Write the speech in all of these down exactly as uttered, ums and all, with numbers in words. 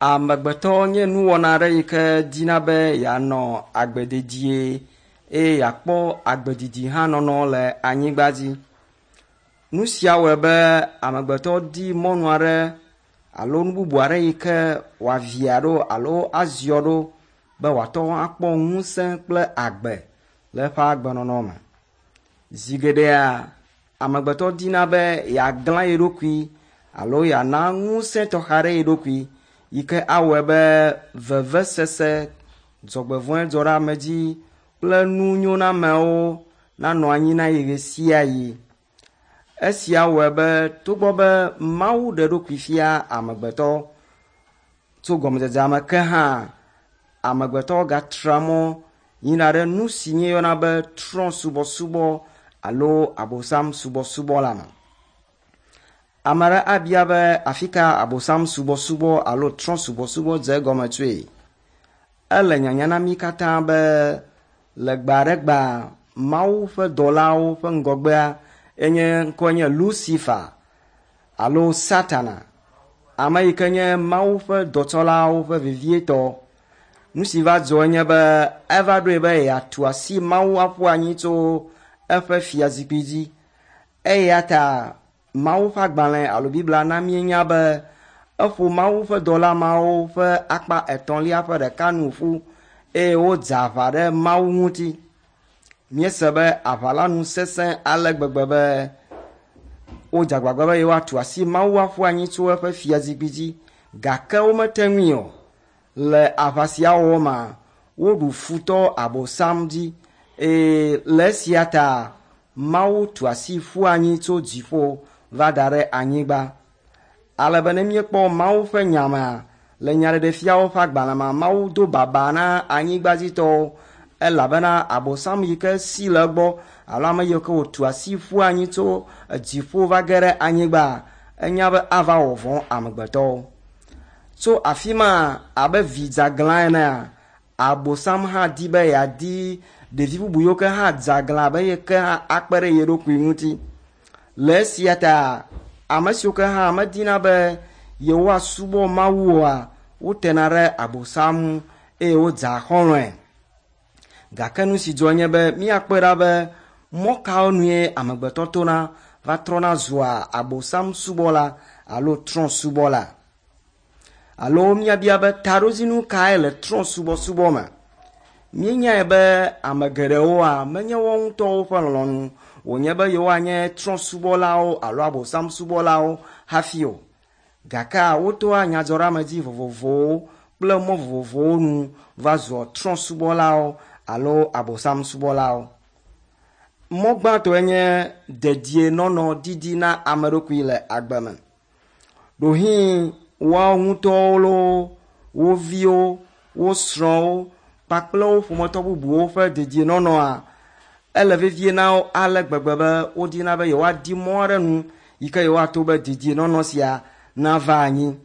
Amegbetɔ nye nuwɔna aɖe yi ke dina be yeanɔ agbe dedie eye yeakpɔ agbe didi hã nɔnɔ le anyigba dzi. Nu sia wɔe be amegbetɔ di mɔnu aɖe alo nu bubu aɖe yi ke wòavia ɖo alo aziɔ ɖo be wòate ŋu akpɔ ŋusẽ kple agbe le eƒe agbenɔnɔ me. Zi geɖea amegbetɔ dina be yeaglã ye ɖokui alo yeana ŋusẽ tɔxɛ aɖe ye ɖokui yi ke awɔe be vevesese, dzɔgbevɔ̃e dzɔɖeamedzi kple nunyonamewo nanɔ anyi na ye ɣe sia ɣi. Esia wɔe be togbɔ be Mawu ɖe eɖokui fia amegbetɔ tso gɔmedzedzea me ke hã, amegbetɔ gatra mɔ yina ɖe nu si míeyɔna be trɔ̃subɔsubɔ alo abosam subɔsubɔ la me. Ame aɖe abia be afi ka abosam subɔsubɔ alo trɔ̃subɔsubɔ dze egɔme tsoe? Ele nyanya na mí katã be le gbe aɖe gbea, Mawu ƒe dɔlawo ƒe ŋgɔgbea enye ŋkɔe nye Lucifer alo Satana, ame yi ke nye Mawu ƒe dɔtsɔlawo ƒe vevietɔ. Nu si va dzɔ enye be eva ɖoe be yeatu asi Mawu aƒu anyi tso eƒe fiazikpui dzi. Eya ta Mawu ƒe agbalẽ alo Biblia na míenya be eƒo Mawu ƒe dɔla mawo ƒe akpa etɔ̃lia ƒe ɖeka nu ƒu eye wodze aʋa ɖe Mawu ŋuti. Míese be aʋa la nu sesẽ ale gbegbe be wodze agbagba be yewoatu asi Mawu aƒu anyi tso eƒe fiazikpui dzi gake womete ŋui o. Le aʋa sia wɔwɔ mea, woɖu futɔ abosam dzi eye le esia ta Mawu tu asi ƒu anyi tso dziƒo va da ɖe anyigba. Ale be ne míekpɔ Mawu ƒe nya mea, le nyaɖeɖefiawo ƒe agbalẽ mea, Mawu do baba na anyigbadzitɔwo elabena abosam yi ke si le egbɔ alo ame yi ke wòtu asi ƒu anyi tso dziƒo va ge ɖe anyigba, enya be ava wɔ vɔ̃ amegbetɔwo. Tso afi ma abe vi dzeaglã enea, abosam hã di be yeadi ɖevi bubu yiwo ke hã dze aglã abe ye ke hã akpe ɖe ye ɖokui ŋuti. Le esia ta ame siwo ke hã medina be yewoasubɔ Mawu oa, wotena ɖe abosam ŋu eye wodzea xɔlɔ̃e. Gake nu si dzɔ nye be míakpɔe ɖa be mɔ kawo nue amegbetɔ tona va trɔna zua abosam subɔla alo trɔ̃subɔla. Alo míabia be taɖodzinu kae le trɔ̃subɔsubɔ me? Míenyae be ame geɖewoa, menye woawo ŋutɔwo ƒe lɔlɔ̃nu wònye be yewoanye trɔ̃subɔlawo alo abosam subɔlawo hafi o. Gakea wotoa nyadzɔɖeamedzi vovovowo kple mɔ vovovowo nu va zua trɔ̃subɔlawo alo abosam subɔlawo. Mɔ gbãtɔe nye dedienɔnɔ didi na ame ɖokui le agbe me. Ɖohĩ woawo ŋutɔwo loo, wo viwo, wo srɔ̃wo kpakple wo ƒometɔ bubuwo ƒe dedienɔnɔa, ele vevie na wo ale gbegbe be wodina be yewoadi mɔ aɖe nu yi ke yewoato be dedienɔnɔ sia nava anyi.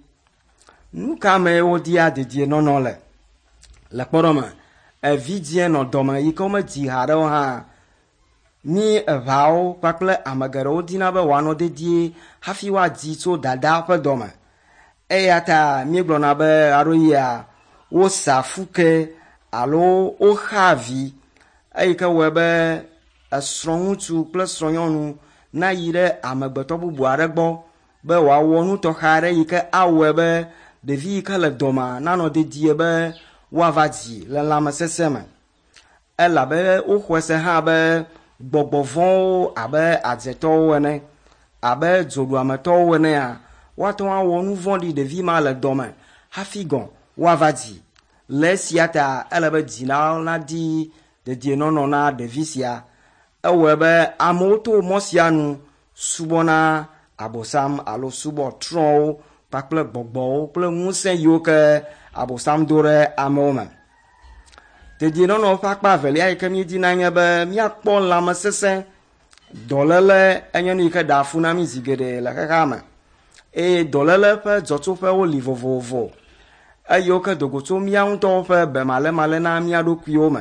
Nu ka mee wodia dedienɔnɔ le? Le kpɔɖeŋu me, evidzie nɔ dɔme yi ke womedzi haɖe o hã, mí eʋeawo kpakple ame geɖewo dina be wòanɔ dedie hafi woadzi tso dadaa ƒe dɔme. Eya ta míegblɔna be ɣeaɖewoɣia, wosa fuke alo woxaa vi eyi ke wɔe be esrɔ̃ŋutsu kple srɔ̃nyɔnu nayi ɖe amegbetɔ bubu aɖe gbɔ be wòawɔ nu tɔxɛ aɖe yi ke awɔe be ɖevi yi ke le dɔmea nanɔ dedie be woava dzi le lãmesesẽ me. Elabe woxɔe se hã be gbɔgbɔ vɔ̃wo abe adzetɔwo ene, abe dzoɖuametɔwo enea, woate ŋu awɔ nu vɔ̃ɖi ɖevi ma le dɔme hafi gɔ̃ woava dzi. Le esia ta ele be dzilawo nadi dedienɔnɔ na ɖevi sia. Ewɔe be amewo to mɔ sia nu subɔna abosam alo subɔ trɔ̃wo kpakple gbɔgbɔwo kple ŋusẽ yiwo ke abosam do ɖe amewo me. Dedienɔnɔ ƒe akpa evelia yi ke míedina nye be míakpɔ lãmesesẽ. Dɔléle enye nu yi ke ɖea fu na mí zi geɖe le xexea me eye dɔléle ƒe dzɔtsoƒewo li vovovo eye wo ke do go tso mía ŋutɔwo ƒe bemalémalé na mía ɖokuiwo me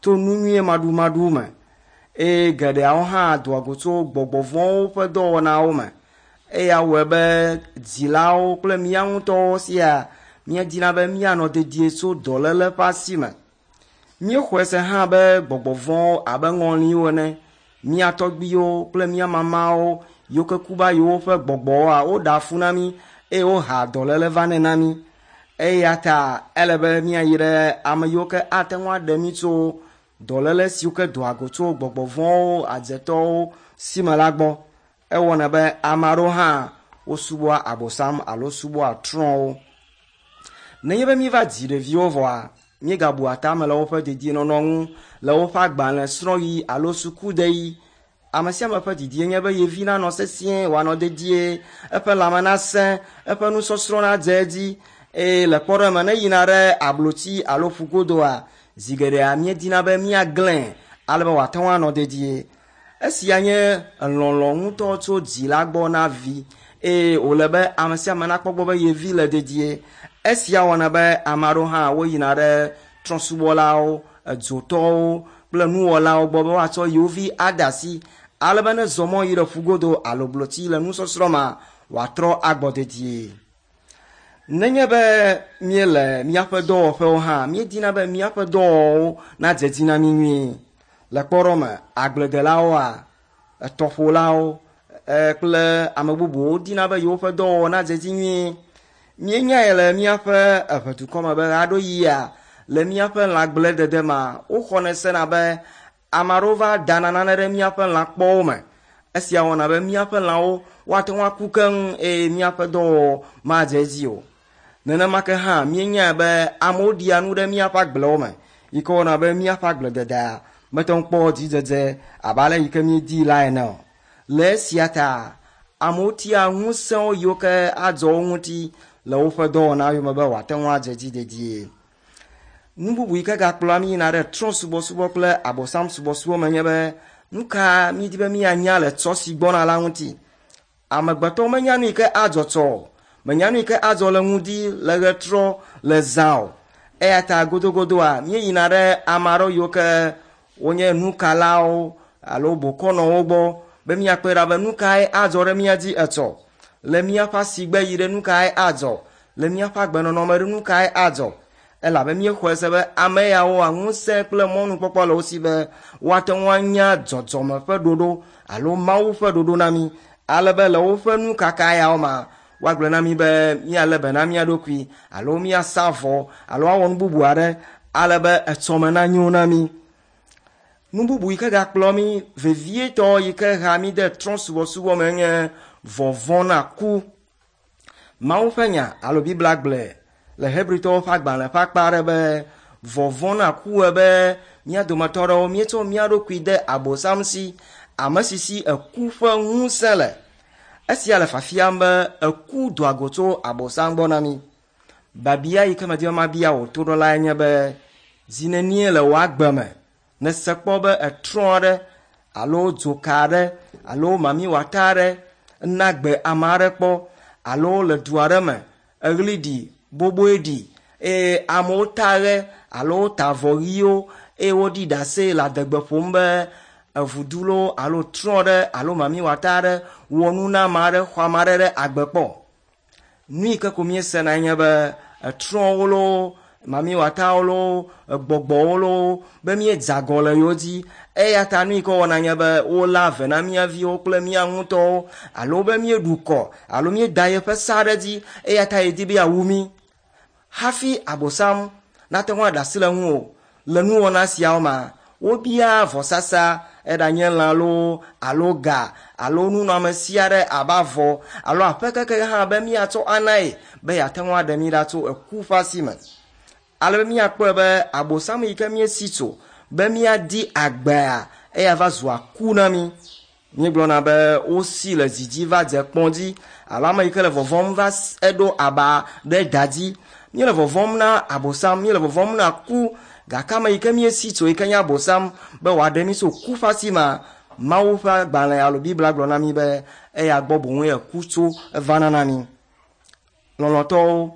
to nu nyuie maɖumaɖu me eye geɖeawo hã doa go tso gbɔgbɔ vɔ̃wo ƒe dɔwɔnawo me. Eya wɔe be dzilawo kple mía ŋutɔwo sia Míedina be míanɔ dedie tso dɔléle ƒe asi me. Míexɔe se hã be gbɔgbɔ vɔ̃wo abe ŋɔliwo ene, mía tɔgbuiwo kple mía mamawo yiwo ke ku va yi woƒe gbɔgbɔwoa, woɖea fu na mí eye wohea dɔléle vanɛ na mí. Eya ta ele be míayi ɖe ame yiwo ke ate ŋu aɖe mí tso dɔléle siwo ke doa go tso gbɔgbɔ vɔ̃wo, adzetɔwo si me la gbɔ. Ewɔnɛ be ame aɖewo hã wosubɔa Abosam alo subɔa trɔ̃wo. Nenye be míeva dzi ɖeviwo vɔa, míegabua tame le woƒe dedienɔnɔ ŋu, le woƒe agbalẽsrɔ̃ɣi alo sukudeɣi. Ame sia ame ƒe didie nye be yevi nanɔ sesĩe, wòanɔ dedie, eƒe lãme nasẽ, eƒe nusɔsrɔ̃ nadze edzi eye le kpɔɖeŋu me ne yina ɖe ablotsi alo ƒugodoa, zi geɖea míedina be míaglãe ale be wòate ŋu anɔ dedie. Esia nye lɔlɔ̃ ŋutɔ tso dzila gbɔ na vi eye wòle be ame sia ame nakpɔ gbɔ be yevi le dedie. Esia wɔna be ame aɖewo hã woyina ɖe trɔ̃subɔlawo, edzotɔwo kple nuwɔlawo gbɔ be woatsɔ yewo vi ade asi ale be ne zɔ mɔ yi ɖe ƒugodo alo blotsi le nusɔsrɔ̃ ma, wòatrɔ agbɔ dedie. Nenye be míele míaƒe dɔwɔƒewo hã, míedina be míaƒe dɔwɔwɔwo nadze dzi na mí nyuie. Le kpɔɖeŋu me, agbledelawoa, etɔƒolawo kple ame bubuwo dina be yewoƒe dɔwɔwɔ nadze dzi nyuie. Míenyae le míaƒe eʋedukɔ me be ɣeaɖewoɣia le míaƒe lãgbledede ma, woxɔnɛ sena be ame aɖewo va dana nane ɖe míaƒe lãkpɔwo me. Esia wɔna be míaƒe lãwo woate ŋu aku keŋ eye míaƒe dɔwɔwɔ madze edzi o. Nenema ke hã míenyae be amewo ɖia nu ɖe míaƒe agblewo me yi ke wɔna be míaƒe agblededea mete ŋu kpɔ dzidzedze abe ale yi ke míedii la ene o. Le esia ta amewo tia ŋusẽwo yiwo ke adzɔ wo ŋuti le woƒe dɔwɔna yome be wòate ŋu adze dzi dedie. Nu bubu yi ke gakplɔa mí yina ɖe trɔ̃subɔsubɔ kple Abosam subɔsubɔ me nye be nu ka míedi be míanya le tsɔ si gbɔna la ŋuti. Amegbetɔwo menya nu yi ke adzɔ tsɔ o, menya nu yi ke adzɔ le ŋdi, le ɣetrɔ, le zã o. Eya ta godogodoa míeyina ɖe ame aɖewo yiwo ke wonye nukalawo alo bokɔnɔwo gbɔ be míakpɔe ɖa be nu kae adzɔ ɖe mía dzi etsɔ. Le míaƒe asigbe yi ɖe nu kae adzɔ, le míaƒe agbenɔnɔ me ɖe nu kae adzɔ. Elabe míexɔe se be ame yawoa ŋusẽ kple mɔnukpɔkpɔ le wo si be woate ŋu anya dzɔdzɔme ƒe ɖoɖo alo Mawu ƒe ɖoɖo na mí ale be le woƒe nukaka yawo ma, woagblɔ na mí be míalé be na mía ɖokui alo míasa vɔ alo awɔ nu bubu aɖe ale be etsɔme nanyo na mí. Nu bubu yi ke gakplɔ mí vevietɔ yi ke hea mí de trɔ̃subɔsubɔ me nye vɔvɔ̃ na ku. Mawu ƒe nya alo Biblia gblɔe le Hebritɔwo ƒe agbalẽ ƒe akpa aɖe be vɔvɔ̃ na ku wɔe be mía dometɔ aɖewo míetsɔ mía ɖokui de Abosam si, ame si si eku ƒe ŋusẽ le. Esia le fiafiam be eku doa go tso Abosam gbɔ na mí. Biabia yi ke medi be mabia wò toɖolae nye be zi nenie le wò agbe me nèse kpɔ be etrɔ̃ aɖe alo dzoka aɖe alo mamiwɔta aɖe na gbe ame aɖe kpɔ alo le du aɖe me eɣli ɖi, boboe ɖi eye amewo ta ɣe alo ta avɔ ɣiwo eye woɖi ɖase le adegbe ƒom be evudu loo alo trɔ̃ ɖe alo mamiwɔta aɖe wɔ nu na ame aɖe xɔ ame aɖe ɖe agbe kpɔ. Nu yi ke ko míesena nye be etrɔ̃wo loo, mamiwɔtawo loo, egbɔgbɔwo loo be míedze agɔ le yewo dzi. Eya ta nu yi ke wɔna nye be wolé ave na mía viwo kple mía ŋutɔwo alo be míeɖu kɔ alo míeda yeƒe sa ɖe dzi eya ta yedi be yeawu mí. Hafi Abosam nate ŋu aɖe asi le ŋuwò le nuwɔna siawo ma, wobia vɔsasa eɖanye lã loo alo ga alo nunɔamesi aɖe abe avɔ alo aƒe keke hã be míatsɔ anae be yeate ŋu aɖe mí ɖa tso eku ƒe asi me. Ale be míakpɔe be Abosam yi ke míesi tso be míadi agbea eya va zua ku na mí. Míegblɔna be wosi le dzidzi va dze kpɔ̃ dzi alo ame yi ke le vɔvɔ̃m va eɖo aba ɖe da dzi. Míele vɔvɔ̃m na Abosam, míele vɔvɔ̃m na ku gake ame yi ke míesi tso yi ke nye Abosam be wòaɖe mí tso ku ƒe asi ma, Mawu ƒe agbalẽ alo Biblia gblɔ na mí be eya gbɔ boŋue eku tso evana na mí. Lɔlɔ̃tɔwo,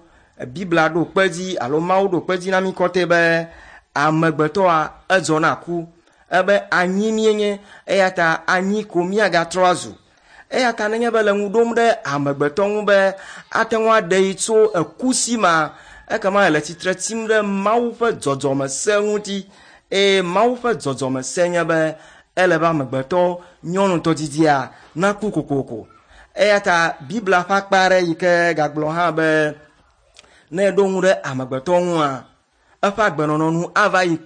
Biblia ɖo kpe dzi alo Mawu ɖo kpe dzi na mí kɔtɛ be amegbetɔa edzɔ na ku ebe anyi míenye eya ta anyi ko míagatrɔ azu. Eya ta nenye be le ŋu ɖom ɖe amegbetɔ ŋu be ate ŋu aɖe yi tso eku si ma, ekema ele tsitre tsim ɖe Mawu ƒe dzɔdzɔmese ŋuti eye Mawu ƒe dzɔdzɔmese nye be ele be amegbetɔ nyɔnutɔ didia naku kokoko. Eya ta Biblia ƒe akpa aɖe yi ke gagblɔ hã be ne eɖo ŋu ɖe amegbetɔ ŋua, eƒe agbenɔnɔ nu ava yi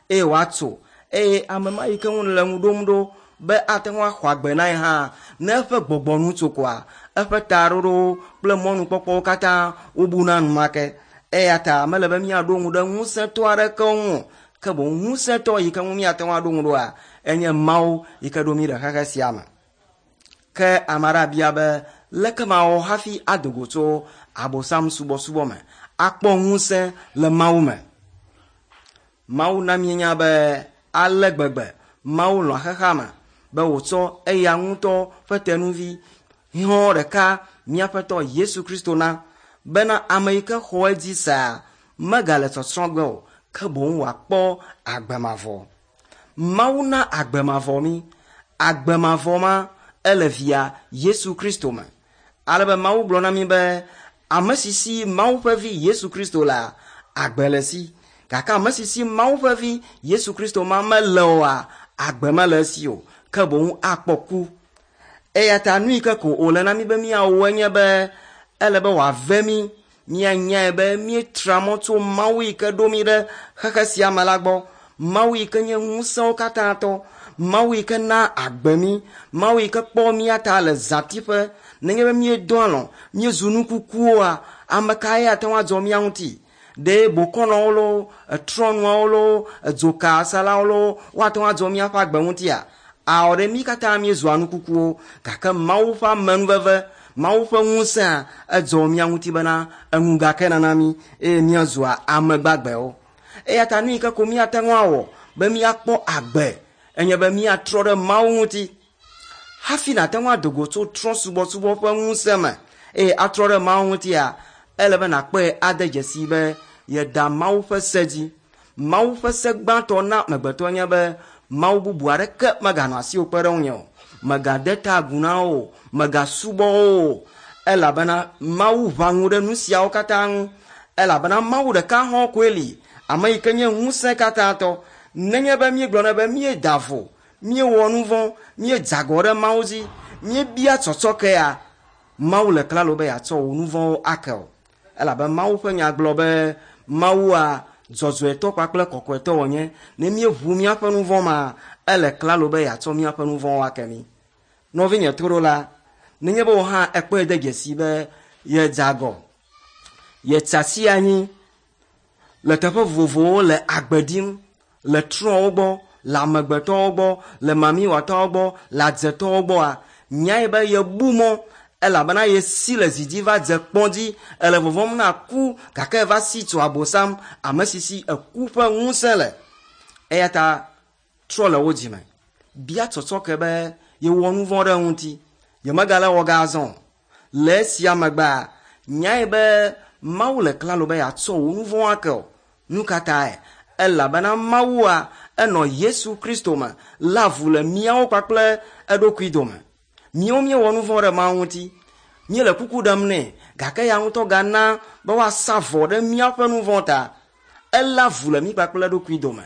eye wòatso eye ame ma yi ke ŋu le ŋu ɖom ɖo be ate ŋu axɔ agbe na ye hã ne eƒe gbɔgbɔ nu tso koa, eƒe taɖoɖowo kple mɔnukpɔkpɔwo katã wobuna enumake. Eya ta mele be míaɖo ŋu ɖe ŋusẽtɔ aɖeke ŋu o, ke boŋ ŋusẽtɔ yi ke ŋu míate ŋu aɖo ŋu ɖoa, enye Mawu yi ke ɖo mí ɖe xexe sia me. Ke ame aɖe abia be leke mawɔ hafi ado go tso Abosam subɔsubɔ me akpɔ ŋusẽ le Mawu me? Mawu na míenya be ale gbegbe Mawu lɔ̃ xexea me be wòtsɔ eya ŋutɔ ƒe tenuvi hɔ̃ ɖeka míaƒetɔ Yesu Kristo na bena ame yi ke xɔ edzi sea megale tsɔtsrɔ̃ ge o, ke boŋ wòakpɔ agbe mavɔ. Mawu na agbe mavɔ mí. Agbe mavɔ ma ele via Yesu Kristo me. Ale be Mawu gblɔ na mí be ame si si Mawu ƒe vi Yesu Kristo lea, agbe le esi. Gake ame si si Mawu ƒe vi Yesu Kristo ma mele oa, agbe mele esi o, ke boŋ akpɔ ku. Eya ta nu yi ke ko wòle na mí be míawɔ enye be ele be wòave mí, míanyae be míetra mɔ tso Mawu yi ke ɖo mí ɖe xexe sia me la gbɔ. Mawu yi ke nye ŋusẽwo katã tɔ, Mawu yi ke na agbe mí, Mawu yi ke kpɔ mía ta le zãtiƒe. Nenye be míedɔ alɔ̃, míezu nukukuwoa, ame kae ate ŋu adzɔ mía ŋuti? Ɖe bokɔnɔwo loo, etrɔnuawo loo, edzokasalawo loo, woate ŋu adzɔ míaƒe agbe ŋutia? Awɔ ɖe mí katã míezua nukukuwo, gake Mawu ƒe amenuveve, Mawu ƒe ŋusẽa edzɔ mía ŋuti bena eŋu gake nana mí eye míazua ame gbagbewo. Eya ta nu yi ke ko míate ŋu awɔ be míakpɔ agbe enye be míatrɔ ɖe Mawu ŋuti. Hafi nàte ŋu ado go tso trɔ̃subɔsubɔ ƒe ŋusẽ me eye atrɔ ɖe Mawu ŋutia, ele be nàkpɔe ade dzesi be yeda Mawu ƒe se dzi. Mawu ƒe se gbãtɔ na amegbetɔ nye be Mawu bubu aɖeke meganɔ asiwò kpe ɖe ŋunye o. Mègade ta agu na wo o, mègasubɔ wo o, elabena Mawu ʋã ŋu ɖe nu siawo katã ŋu. Elabena Mawu ɖeka hɔ̃ koe li, ame yi ke nye ŋusẽ katã tɔ. Nenye be míegblɔnɛ be míeda vo, míewɔ nu vɔ̃, míedze agɔ ɖe Mawu dzi, míebia tsɔtsɔkea, Mawu le klalo be yeatsɔ wò nu vɔ̃wo ake o. Elabe Mawu ƒe nya gblɔ be Mawua dzɔdzɔetɔ kpakple kɔkɔetɔ wònye. Ne míeʋu míaƒe nu vɔ̃ ma, ele klalo be yeatsɔ míaƒe nu vɔ̃wo ake mí. Nɔvinye toɖola, nenye be wò hã ekpɔe de dzesi be yedze agɔ, yetsi asi anyi le teƒe vovovowo le agbe ɖim, le trɔ̃wo gbɔ, le amegbetɔwo gbɔ, le mamiwɔtɔwo gbɔ, le adzetɔwo gbɔa, nyae be yebu mɔ elabena yesi le zi dzi va dze kpɔ̃ dzi, ele vɔvɔ̃m na ku gake eva si tso Abosam, ame si si eku ƒe ŋusẽ le. Eya ta trɔ le wo dzime. Bia tsɔtsɔke be yewɔ nu vɔ̃ ɖe ŋuti, yemegale wɔ ga azɔ o. Le esia megbea, nyae be Mawu le klalo be yeatsɔ wò nu vɔ̃ ake o. Nu ka tae? Elabena Mawua enɔ Yesu Kristo me lé avu le míawo kpakple eɖokui dome. Míawo míewɔ nu vɔ̃ ɖe Mawu ŋuti. Míele kuku ɖem nɛ, gake ya ŋutɔ gana be woasa vɔ ɖe míaƒe nu vɔ̃ ta. Elé avu le mí kpakple eɖokui dome.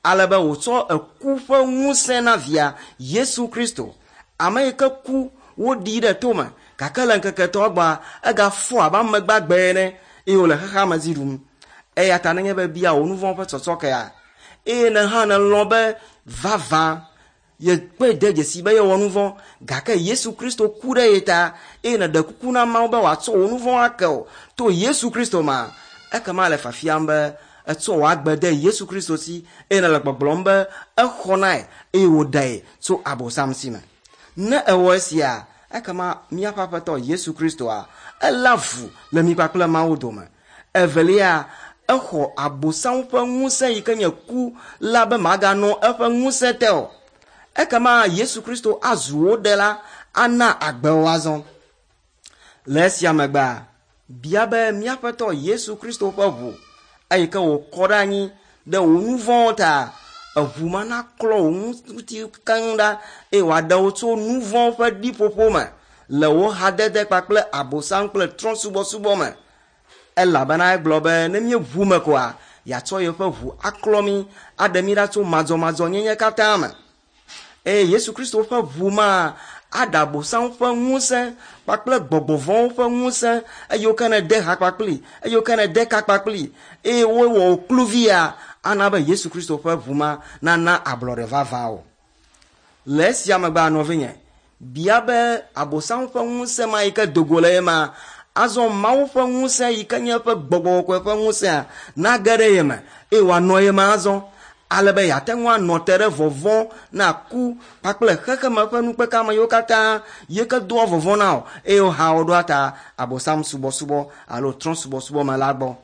Ale be wòtsɔ eku ƒe ŋusẽ na via Yesu Kristo, ame yi ke ku woɖii ɖe tome, gake le ŋkeke etɔ̃a gbɔa, egafɔ abe ame gbagbe ene eye wòle xexea me dzi ɖum. Eya ta nenye be bia wò nu vɔ̃ ƒe tsɔtsɔkea, eye ne hã nèlɔ̃ be vavã yekpɔe de dzesi be yewɔ nu vɔ̃, gake Yesu Kristo ku ɖe ye ta eye nèɖe kuku na Mawu be wòatsɔ wò nu vɔ̃ ake o to Yesu Kristo ma, ekema le fiafiam be etsɔ wò agbe de Yesu Kristo si eye nèle gbɔgblɔm be exɔ nae eye wòɖee tso Abosam si me. Ne ewɔ esia, ekema míaƒe Aƒetɔ Yesu Kristoa, elé avu le mí kpakple Mawu dome. Evelia, exɔ Abosam ƒe ŋusẽ yi ke nye ku la be maganɔ eƒe ŋusẽ te o. Ekema Yesu Kristo azu wò ɖela, ana agbe wò azɔ. Le esia megbea, bia be míaƒetɔ Yesu Kristo ƒe ʋu eyi ke wòkɔ ɖe anyi ɖe wò nu vɔ̃wo ta, eʋu ma naklɔ wò ŋuti keŋ ɖa eye wòaɖe wò tso nu vɔ̃ ƒe ɖiƒoƒo me le wò hadede kpakple Abosam kple trɔ̃subɔsubɔ me. Elabena egblɔ be ne míeʋu me koa, yeatsɔ yeƒe ʋu aklɔ mí, aɖe mí ɖa tso madzɔmadzɔnyenye katã me. Eye Yesu Kristo ƒe ʋu ma aɖe Abosam ƒe ŋusẽ kpakple gbɔgbɔ vɔ̃wo ƒe ŋusẽ eye ke nede ha kpakpli, eye ke nede ka kpakpli eye wowɔ wò kluvia, ana be Yesu Kristo ƒe ʋu ma nana ablɔɖe vavã wò. Le esia megbea nɔvinye, bia be Abosam ƒe ŋusẽ ma yi ke do go le ye ma, azɔ Mawu ƒe ŋusẽ yi ke nye eƒe gbɔgbɔ kɔkɔe ƒe ŋusẽa nage ɖe ye me eye wòanɔ ye me azɔ ale be yeate ŋu anɔ te ɖe vɔvɔ̃ na ku kpakple xexeme ƒe nukpekame yiwo katã yi ke doa vɔvɔ̃ na wò eye woha wò ɖoa ta Abosam subɔsubɔ alo trɔ̃ subɔsubɔ me la gbɔ.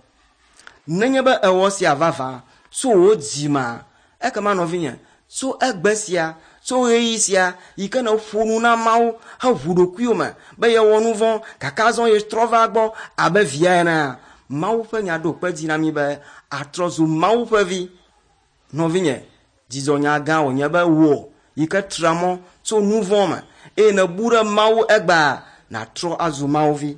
Nenye be ewɔ sia vavã tso wò dzimea, ekema nɔvinye, tso egbe sia, tso ɣeyiɣi sia yi ke nèƒo nu na Mawu heʋu ɖokuiwò me be yewɔ nu vɔ̃ gake azɔ yetrɔ va gbɔ abe via enea, Mawu ƒe nya ɖo kpe dzi na mí be atrɔ zu Mawu ƒe vi. Nɔvinye, dzidzɔnya gã wònye be wò yi ke tra mɔ tso nu vɔ̃ me eye nèbu ɖe Mawu egbea nàtrɔ azu Mawu vi.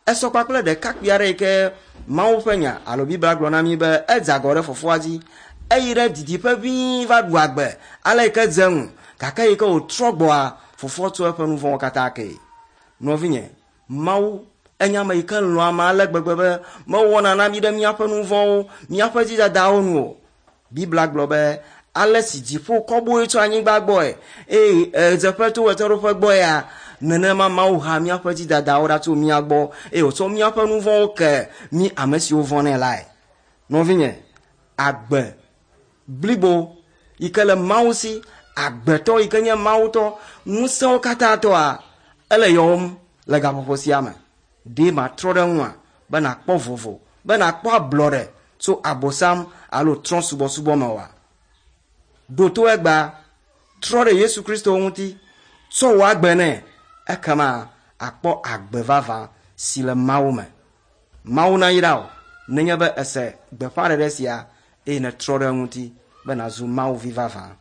Esɔ kpakple ɖekakpui aɖe yi ke Mawu ƒe nya alo Biblia gblɔ na mí be edze agɔ ɖe fofoa dzi. Eyi ɖe didiƒe ʋĩi va ɖu agbe ale yi ke dze eŋu gake yi ke wòtrɔ gbɔa, fofoa tsɔ eƒe nu vɔ̃wo katã kee. Nɔvinye, Mawu enye ame yi ke lɔ̃ ame ale gbegbe be mewɔna na mí ɖe míaƒe nu vɔ̃wo, míaƒe dzidadawo nu o. Biblia gblɔ be ale si dziƒo kɔboe tso anyigba gbɔe eye ɣedzeƒe to ɣetoɖoƒe gbɔea, nenema Mawu ha míaƒe dzidadawo ɖa tso mía gbɔ eye wòtsɔ míaƒe nu vɔ̃wo ke mí ame siwo vɔ̃nɛ lae. Nɔvinye, agbe blibo yi ke le Mawu si, agbetɔ yi ke nye Mawutɔ, ŋusẽwo katã tɔa, ele yɔwòm le gaƒoƒo sia me. Ɖe matrɔ ɖe ŋua be nàkpɔ vovo, be nàkpɔ ablɔɖe tso Abosam alo trɔ̃ subɔsubɔ me oa? Ɖo to egbea, trɔ ɖe Yesu Kristo ŋuti, tsɔ wò agbe nɛ, ekema akpɔ agbe vavã si le Mawu me. Mawu nayra wò nenye be ese gbeƒãɖeɖe sia eye nètrɔ ɖe eŋuti be nàzu Mawu vi vavã.